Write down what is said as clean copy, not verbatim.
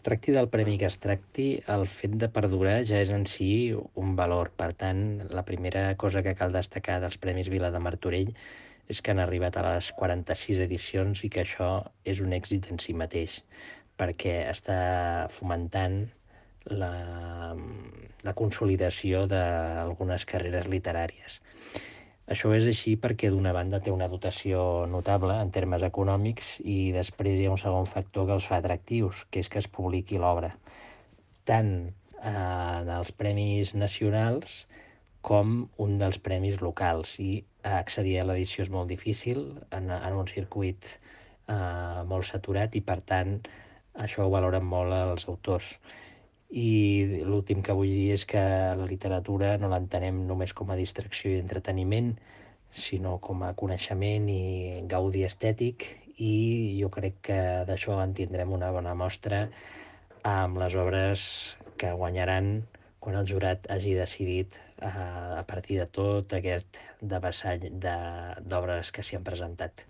Es tracti del premi que es tracti, el fet de perdurar ja és en si un valor. Per tant, la primera cosa que cal destacar dels Premis Vila de Martorell és que han arribat a les 46 edicions i que això és un èxit en si mateix, perquè està fomentant la, la consolidació d'algunes carreres literàries. Això és així perquè, d'una banda, té una dotació notable en termes econòmics i després hi ha un segon factor que els fa atractius, que és que es publiqui l'obra, tant en els premis nacionals com un dels premis locals. I accedir a l'edició és molt difícil en un circuit molt saturat i, per tant, això ho valoren molt els autors. I l'últim que vull dir és que la literatura no l'entenem només com a distracció i entreteniment, sinó com a coneixement i gaudi estètic, i jo crec que d'això en tindrem una bona mostra amb les obres que guanyaran quan el jurat hagi decidit a partir de tot aquest devessall d'obres que s'hi han presentat.